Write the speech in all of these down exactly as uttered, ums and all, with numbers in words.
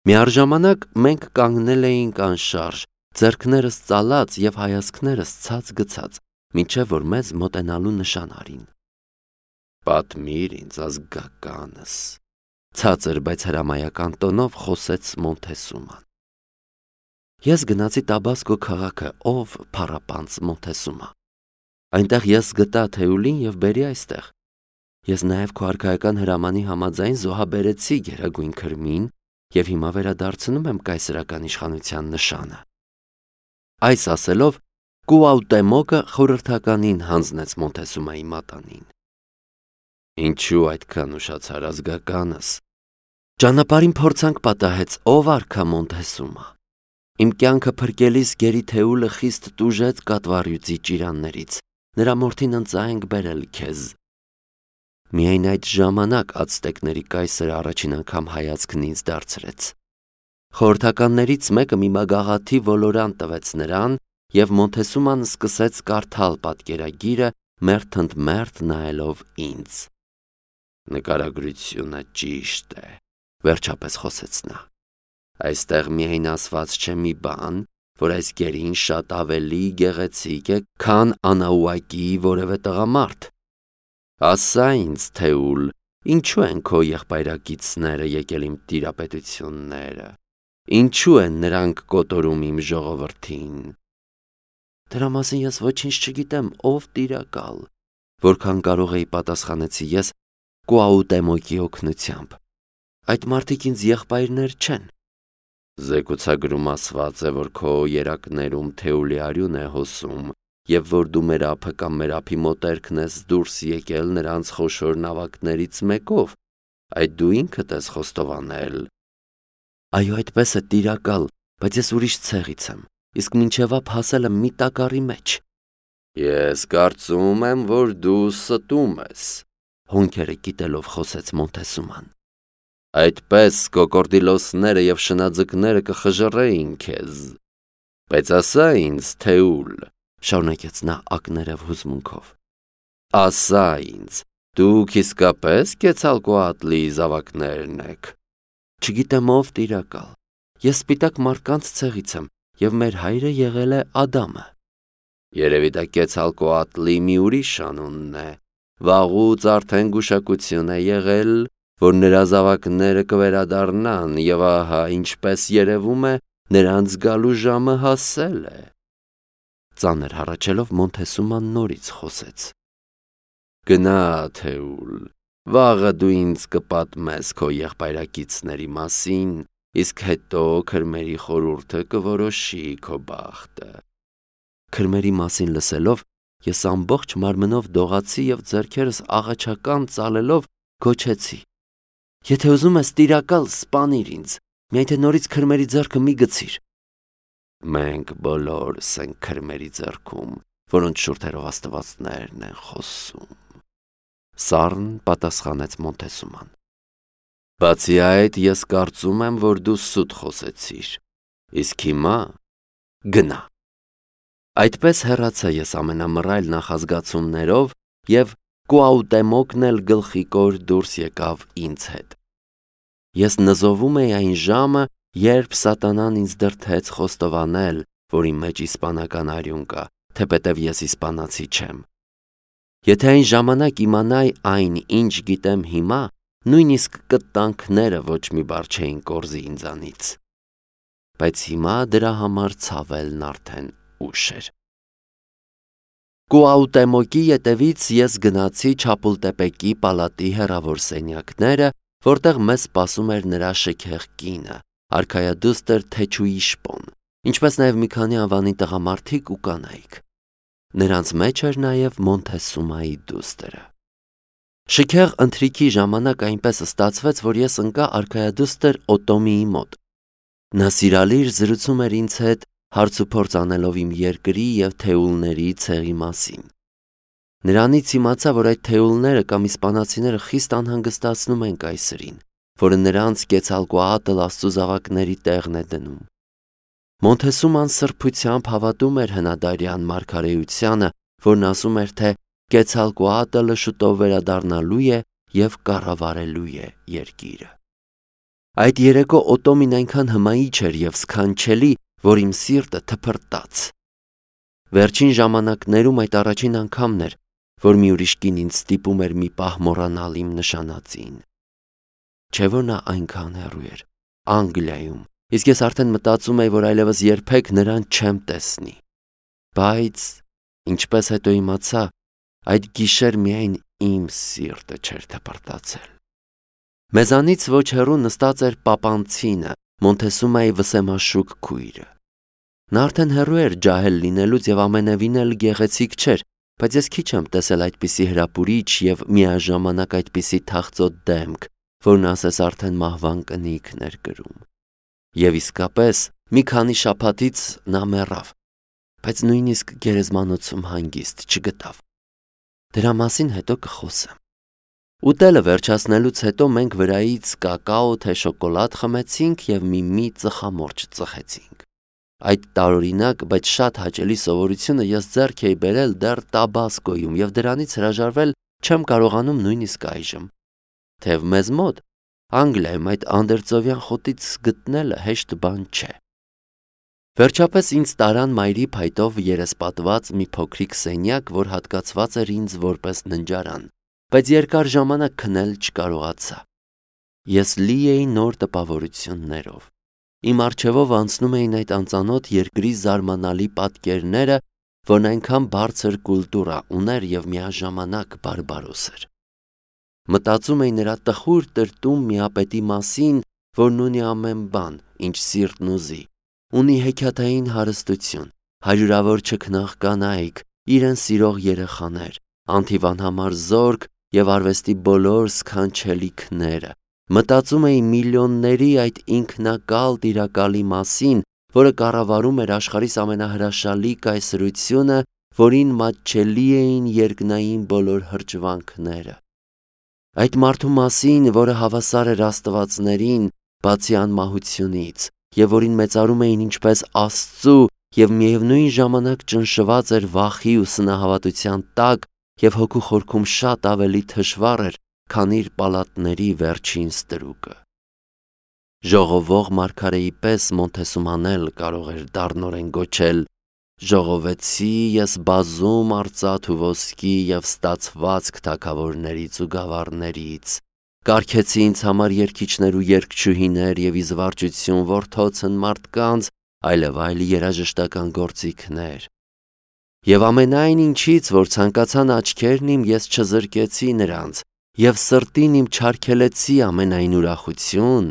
Միառժամանակ մենք կանգնել էինք անշարժ, ձեռքներս ծալած և հայացքներս ցած գցած, մինչև որ մեզ մոտենալու նշան արին։ «Պատմիր ինձ ազգականս», ցածր բայց հրամայական տոնով խոսեց Մոնթեսուման։ Ես գնացի Տաբասկո քաղաքը, ով փառապանծ Մոնթեսումա։ Այնտեղ ես գտա Թեուլին և բերի այստեղ։ Ես նաև քո արքայական հրամանի համաձայն զոհաբերեցի գերագույն քրմին և հիմա վերադարձնում եմ կայսրական իշխանության նշանը։ Այս ասելով Կուաուտեմոկը խորհրդականին հանձնեց Մոնթեսումայի մատանին։ Ինչու այդքան ուշացար ազգականս։ Ճանապարհին փորձանք պատահեց, ով արքա Մոնթեսումա։ Իմ կյանքը փրկելիս գերի Թեուլը խիստ տուժեց կատվարյուծի ճիրաններից, նրա մորթին ընծայենք բերել քեզ։ Միայն այդ ժամանակ ացտեկների կայսրը առաջին անգամ հայացքն ինձ դարձրեց։ Խորհրդականներից մեկը մի մագաղաթի ոլորան տվեց նրան, և Մոնթեսուման սկսեց կարդալ պատկերագիրը մերթ ընդ մերթ նայելով ինձ։ Նկարագրությունը ճիշտ է, վերջապես խոսեց նա։ Այստեղ միայն ասված չէ մի բան, որ այս գերին շատ ավելի գեղեցիկ է, քան Անաուակի որևէ տղամարդ։ Ասա ինձ, Թեուլ, ինչու են քո եղբայրակիցները եկել իմ տիրապետությունները, ինչու են նրանք կոտորում իմ ժողովրդին։ Դրա մասին ես ոչինչ չգիտեմ, ով տիրակալ, որքան կարող էի պատասխանեցի ես Կուաուտեմոկի օգնությամբ։ Այդ մարդիկ ինձ եղբայրներ չեն։ Զեկուցագրում ասված է, որ քո երակներում Թեուլի արյուն է հոսում, և որ դու մեր ափը կամ մեր ափի մոտերքն ես դուրս եկել նրանց խոշոր նավակներից մեկով, այդ դու ինքդ ես խոստովանել։ Այո, այդպես է, տիրակալ, բայց ես ուրիշ ցեղից եմ, իսկ մինչև ափ հասել եմ մի տակառի մեջ։ Ես կարծում եմ, որ դու ստում ես, հոնքերը կիտելով խոսեց Մոնթեսուման։ Այդպես կոկորդիլոսները և շնաձկները կխժռեին քեզ։ Բայց ասա ինձ, Թեուլ, շարունակեց նա ակներև հուզմունքով, ասա ինձ, դուք իսկապես Կեցալկոատլի զավակներն եք։ Չգիտեմ ով տիրակալ, ես սպիտակ մարդկանց ցեղից եմ, և մեր հայրը եղել է Ադամը։ Երևի դա Կեցալկոատլի մի ուրիշ անունն է, վաղուց արդեն գուշակություն է եղել, որ նրա զավակները կվերադառնան, և ահա, ինչպես երևում է, նրանց գալու ժամը հասել է։ Ծանր հառաչելով Մոնթեսուման նորից խոսեց. Գնա, Թեուլ, վաղը դու ինձ կպատմես քո եղբայրակիցների մասին, իսկ հետո քրմերի խորհուրդը կորոշի քո բախտը։ Քրմերի մասին լսելով ես ամբողջ մարմնով դողացի և ձեռքերս աղաչական ծալելով գոչեցի. Եթե ուզում ես տիրակալ, սպանիր ինձ, միայն թե նորից քրմերի ձեռքը մի գցիր։ Մենք բոլորս ենք քրմերի ձեռքում, որոնց շուրթերով աստվածներն են խոսում, սառն պատասխանեց Մոնթեսուման։ Բացի այդ, ես կարծում եմ, որ դու սուտ խոսեցիր, իսկ հիմա գնա։ Այդպես հեռացա ես ամենամռայլ նախազգացումներով և Կուաուտեմոկն էլ գլխիկոր դուրս եկավ ինձ հետ։ Ես նզովում էի այն ժամը, երբ սատանան ինձ դրդեց խոստովանել, որ իմ մեջ իսպանական արյուն կա, թեպետև ես իսպանացի չեմ։ Եթե այն ժամանակ իմանայի այն, ինչ գիտեմ հիմա, նույնիսկ կտանքները ոչ մի բառ չէին կորզի ինձանից։ Բայց հիմա դրա համար ցավելն արդեն ուշ էր։ Կուաուտեմոկի ետևից ես գնացի Չապուլտեպեկի պալատի հեռավոր սենյակները, որտեղ մեզ սպասում էր նրա շքեղ կինը, արքայադուստր Թեչուիշպոն, ինչպես նաև մի քանի անվանի տղամարդիկ ու կանայք։ Նրանց մեջ էր նաև Մոնթեսումայի դուստրը։ Շքեղ ընթրիքի ժամանակ այնպես ստացվեց, որ ես ընկա արքայադուստր Օտոմիի մոտ։ Նա սիրալիր զրուցում էր ինձ հետ, հարցուփորձ անելով իմ երկրի և թեուլների ցեղի մասին։ Նրանից իմացա, որ այդ թեուլները կամ իսպանացիները խիստ անհանգստացնում են կայսրին, որը նրանց Կեցալկոատլ աստծու զավակների տեղն է դնում։ Մոնթեսուման սրբությամբ հավատում էր հնադարյան մարգարեությանը, որն ասում էր, թե Կեցալկոատլը շուտով վերադառնալու է և կառավարելու է երկիրը։ Այդ երեկո Օտոմին այնքան հմայիչ էր և սքանչելի, որ իմ սիրտը թփրտաց։ Վերջին ժամանակներում այդ առաջին անգամն էր, որ մի ուրիշ կին ինձ ստիպում էր մի պահ մոռանալ իմ նշանածին։ Չէ՞ որ նա այնքան հեռու էր, Անգլիայում, իսկ ես արդեն մտածում էի, որ այլևս երբեք նրան չեմ տեսնի։ Բայց, ինչպես հետո իմացա, այդ գիշեր միայն իմ սիրտը չէր թփրտացել։ Մեզանից ոչ հեռու նստած էր Պապանցինը, Մոնթեսումայի վսեմաշուք քույրը։ Նա արդեն հեռու էր ջահել լինելուց և ամենևին էլ գեղեցիկ չէր, բայց ես քիչ եմ տեսել այդպիսի հրապուրիչ և միաժամանակ այդպիսի թախծոտ դեմք, որն ասես արդեն մահվան կնիքն էր կրում։ Եվ իսկապես, մի քանի շաբաթից նա մեռավ, բայց նույնիսկ գերեզմանոցում հանգիստ չգտավ։ Դրա մասին հետո կխոսեմ։ Ուտելը վերջացնելուց հետո մենք վրայից կակաո թե շոկոլադ խմեցինք և մի-մի ծխամորճ ծխեցինք։ Այդ տարօրինակ, բայց շատ հաճելի սովորությունը ես ձեռք էի բերել դեռ Տաբասկոյում և դրանից հրաժարվել չեմ կարողանում նույնիսկ այժմ։ Թեև մեզ մոտ, Անգլիայում այդ անդերձովյան խոտից գտնելը հեշտ բան չէ։ Վերջապես ինձ տարան մայրի փայտով երեսպատված մի փոքրիկ սենյակ, որ հատկացված էր ինձ որպես ննջարան, բայց երկար ժամանակ քնել չկարողացա։ Ես լի էի նոր տպավորություններով։ Իմ առջևով անցնում էին այդ անծանոթ երկրի զարմանալի պատկերները, որն այնքան բարձր կուլտուրա ուներ և միաժամանակ բարբարոս էր։ Մտածում էի նրա տխուր տրտում միապետի մասին, որն ունի ամեն բան, ինչ սիրտն ուզի, ունի հեքիաթային հարստություն, հարյուրավոր չքնաղ կանայք, իրեն սիրող երեխաներ, անթիվանհամար զորք և արվեստի բոլոր սքանչելիքները։ Մտածում էի միլիոնների այդ ինքնակալ տիրակալի մասին, որը կառավարում էր աշխարհիս ամենահրաշալի կայսրությունը, որին մատչելի էին երկնային բոլոր հրճվանքները։ Այդ մարդու մասին, որը հավասար էր աստվածներին, բացի անմահությունից, և որին մեծարում էին ինչպես Աստծու և միևնույն ժամանակ ճնշված էր վախի ու սնահավատության տակ և հոգու խորքում շատ ավելի թշվառ էր, քան իր պալատների վերջին ստրուկը։ Ժողովող մարգարեի պես Մոնթեսուման էլ կարող էր դառնորեն գոչել. «Ժողովեցի ես բազում արծաթ ու ոսկի և ստացվածք թագավորներից ու գավառներից, կարգեցի ինձ համար երգիչներ ու երգչուհիներ և իզվարճություն որդոցն մարդկանց, այլև այլ երաժշտական գործիքներ։ Եվ ամենայն ինչից, որ ցանկացան աչքերն իմ, ես չզրկեցի նրանց, և սրտին իմ չարգելեցի ամենայն ուրախություն,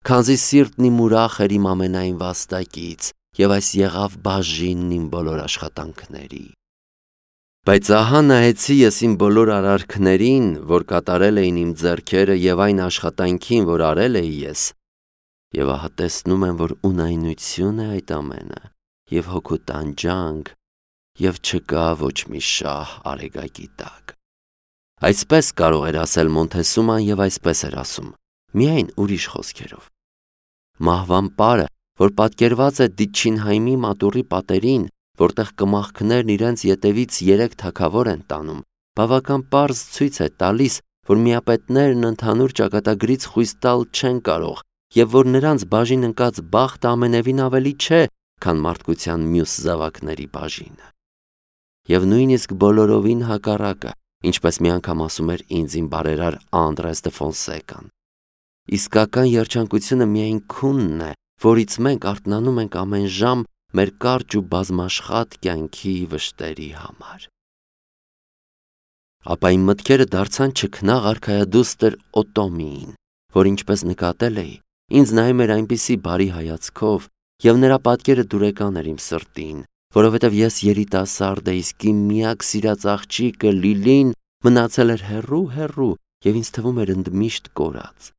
քանզի սիրտն իմ ուրախ էր իմ ամենայն վաստակից, և այս եղավ բաժինն իմ բոլոր աշխատանքների։ Բայց ահա նայեցի ես իմ բոլոր արարքներին, որ կատարել էին իմ ձեռքերը և այն աշխատանքին, որ արել էի ես, և ահա տեսնում եմ, որ ունայնություն է այդ ամենը, և հոգու տանջանք, և չկա ոչ մի շահ արեգակի տակ»։ Այսպես կարող էր ասել Մոնթեսուման և այսպես էր ասում, միայն ուրիշ խոսքերով։ Մահվան պարը, որ պատկերված է Դիչինհայմի մատուռի պատերին, որտեղ կմախքներն իրենց ետևից երեք թագավոր են տանում, բավական պարզ ցույց է տալիս, որ միապետներն ընդհանուր ճակատագրից խույս տալ չեն կարող և որ նրանց բաժին ընկած բախտը ամենևին ավելի չէ, քան մարդկության մյուս զավակների բաժինը։ Եվ նույնիսկ բոլորովին հակառակը, ինչպես մի անգամ ասում էր ինձ իմ բարերար Անդրես դը Ֆոնսեկան։ Իսկական երջանկությունը միայն քունն է, որից մենք արթնանում ենք ամեն ժամ մեր կարճ ու բազմաշխատ կյանքի վշտերի համար։ Ապա իմ մտքերը դարձան չքնաղ արքայադուստր Օտոմիին, որ ինչպես նկատել էի, ինձ նայում էր այնպիսի բարի հայացքով, և նրա պատկերը դուրեկան էր իմ սրտին, որովհետև ես երիտասարդ էի, իսկ իմ միակ սիրած աղջիկը Լիլին մնացել էր հեռու-հեռու և ինձ թվում էր ընդմիշտ կորած։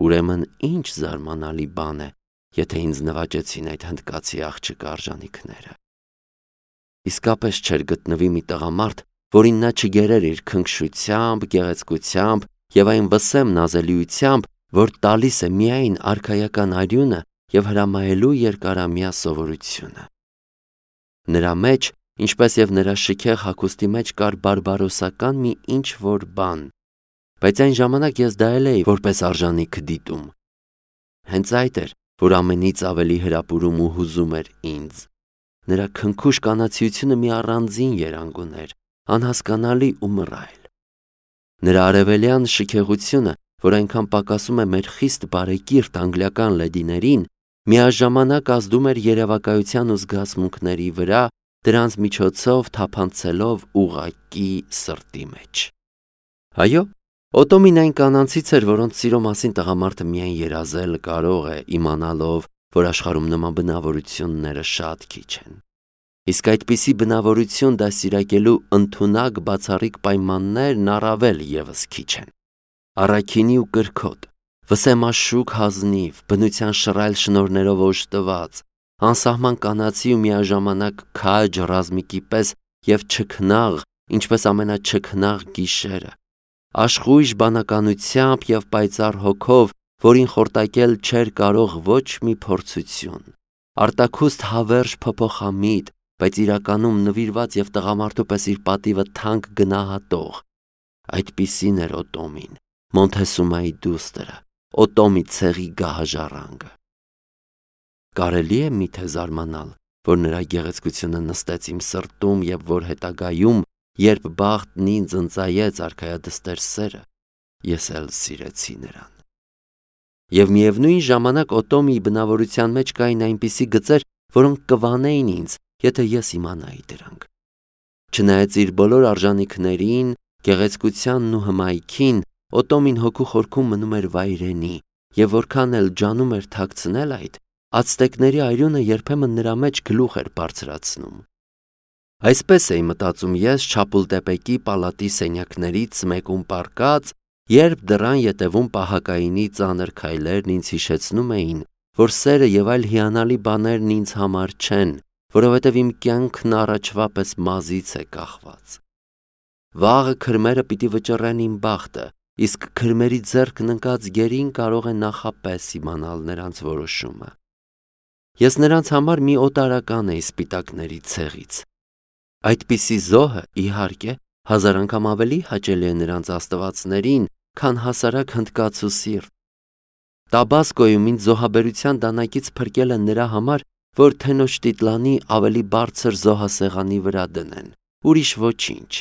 Ուրեմն ինչ զարմանալի բան է, եթե ինձ նվաճեցին այդ հնդկացի աղջկա արժանիքները։ Իսկապես չէր գտնվի մի տղամարդ, որին նա չգերեր իր քնքշությամբ, գեղեցկությամբ և այն վսեմ նազելիությամբ, որ տալիս է միայն արքայական արյունը և հրամայելու երկարամյա սովորությունը։ Նրա մեջ, ինչպես և նրա շքեղ հագուստի մեջ կար բարբարոսական մի ինչ-որ բան, բայց այն ժամանակ ես դա էլ էի որպես արժանիք դիտում, Հենց այդ էր, որ ամենից ավելի հրապուրում ու հուզում էր ինձ։ Նրա քնքուշ կանացիությունը մի առանձին երանգ ուներ, անհասկանալի ու մռայլ։ Նրա արևելյան շքեղությունը, որ այնքան պակասում է մեր խիստ բարեկիրթ անգլիական լեդիներին, միաժամանակ ազդում էր երևակայության ու զգացմունքների վրա, դրանց միջոցով թափանցելով ուղղակի սրտի մեջ։ Այո, Օտոմին այն կանանցից էր, որոնց սիրո մասին տղամարդը միայն երազել կարող է, իմանալով, որ աշխարհում նման բնավորությունները շատ քիչ են։ Իսկ այդպիսի բնավորություն դաստիարակելու ընդունակ բացառիկ պայմաններն առավել ևս քիչ են։ Առաքինի ու կրքոտ, վսեմաշուք հազնիվ, բնության շռայլ շնորհներով օժտված, անսահման կանացի ու միաժամանակ քաջ ռազմիկի պես և չքնաղ, ինչպես ամենաչքնաղ գիշերը, աշխույժ բանականությամբ և պայծառ հոգով, որին խորտակել չէր կարող ոչ մի փորձություն, արտաքուստ հավերժ փոփոխամիտ, բայց իրականում նվիրված և տղամարդու պես իր պատիվը թանկ գնահատող, այդպիսին էր Օտոմին, Մոնթեսումայի դուստրը, Օտոմի ցեղի գահաժառանգը։ Կարելի է միթե զարմանալ, որ նրա գեղեցկությունը նստեց իմ սրտում և որ հետագայում, երբ բախտն ինձ ընծայեց արքայադստեր սերը, ես էլ սիրեցի նրան։ Եվ միևնույն ժամանակ Օտոմիի բնավորության մեջ կային այնպիսի գծեր, որոնք կվանեին ինձ, եթե ես իմանայի դրանք։ Չնայած իր բոլոր արժանիքներին, գեղեցկությանն ու հմայքին, Օտոմին հոգու խորքում մնում էր վայրենի, և որքան էլ ջանում էր թաքցնել այդ, ացտեկների այրունը երբեմն նրա մեջ գլուխ էր բարձրացնում։ Այսպես էի մտածում ես Չապուլտեպեկի պալատի սենյակներից մեկում պառկած, երբ դռան ետևում պահակայինի ծանր քայլերն ինձ հիշեցնում էին, որ սերը և այլ հիանալի բաներն ինձ համար չեն, որովհետև իմ կյանքն առաջվա պես մազից է կախված։ Վաղը քրմերը պիտի վճռեն իմ բախտը, իսկ քրմերի ձեռքն ընկած գերին կարող է նախապես իմանալ նրանց որոշումը։ Ես նրանց համար մի օտարական էի սպիտակների ցեղից։ Այդպիսի զոհը, իհարկե, հազար անգամ ավելի հաճելի է նրանց աստվածներին, քան հասարակ հնդկացու սիրտ։ Տաբասկոյում ինձ զոհաբերության դանակից փրկել են նրա համար, որ Թենոշտիտլանի ավելի բարձր զոհասեղանի վրա դնեն, ուրիշ ոչինչ։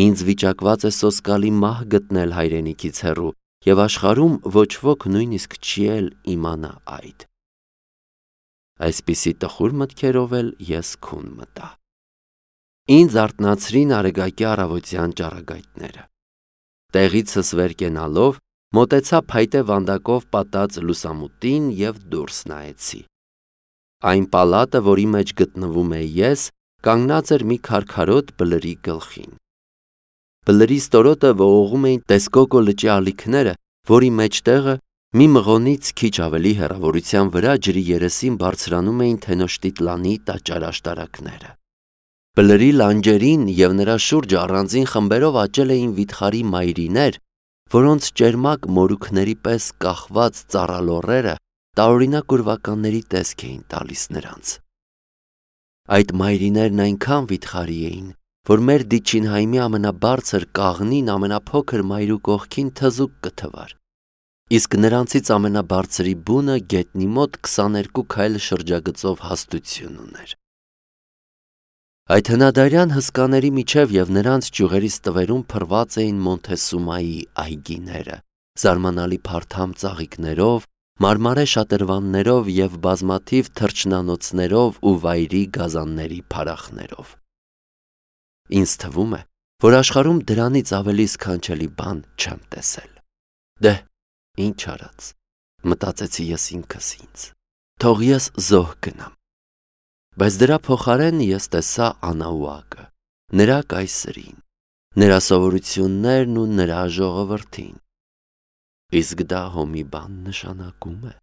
Ինձ վիճակված է սոսկալի մահ գտնել հայրենիքից հեռու, և աշխարհում ոչ ոք նույնիսկ չի էլ իմանա այդ։ Այսպիսի տխուր մտքերով էլ ես քուն մտա։ Ինձ արթնացրին արեգակի առավոտյան ճառագայթները։ Տեղիցս վեր կենալով, մոտեցա փայտե վանդակով պատած լուսամուտին և դուրս նայեցի։ Այն պալատը, որի մեջ գտնվում էի ես, կանգնած էր մի քարքարոտ բլրի գլխին։ Բլրի ստորոտը ողողում էին Տեսկոկո լճի ալիքները, որի մեջտեղը մի մղոնից քիչ ավելի հեռավորության վրա ջրի երեսին բարձրանում էին Թենոշտիտլանի տաճար աշտարակները։ Բլրի լանջերին և նրա շուրջը առանձին խմբերով աճել էին վիթխարի մայրիներ, որոնց ճերմակ մորուքների պես կախված ծառալոռերը տարօրինակ ուրվականների տեսք էին տալիս նրանց։ Այդ մայրիներն այնքան վիթխարի էին, որ մեր Դիչինհայմի ամենաբարձր կաղնին ամենափոքր մայրու կողքին թզուկ կթվար, իսկ նրանցից ամենաբարձրի բունը գետնի մոտ քսաներկու քայլ շրջագծով հաստություն ուներ։ Այդ հնադարյան հսկաների միջև և նրանց ճյուղերի ստվերում փռված էին Մոնթեսումայի այգիները, զարմանալի փարթամ ծաղիկներով, մարմարե շատրվաններով և բազմաթիվ թռչնանոցներով ու վայրի գազանների փարախներով։ Ինձ թվում է, որ աշխարհում դրանից ավելի սքանչելի բան չեմ տեսել։ Դե, ինչ արած, մտածեցի ես ինքս ինձ, թող ես զոհ գնամ։ Բայց դրա փոխարեն ես տեսա Անաուակը, նրա կայսրին, նրա սովորություններն ու նրա ժողովրդին։ Իսկ դա հո մի բան նշանակում է։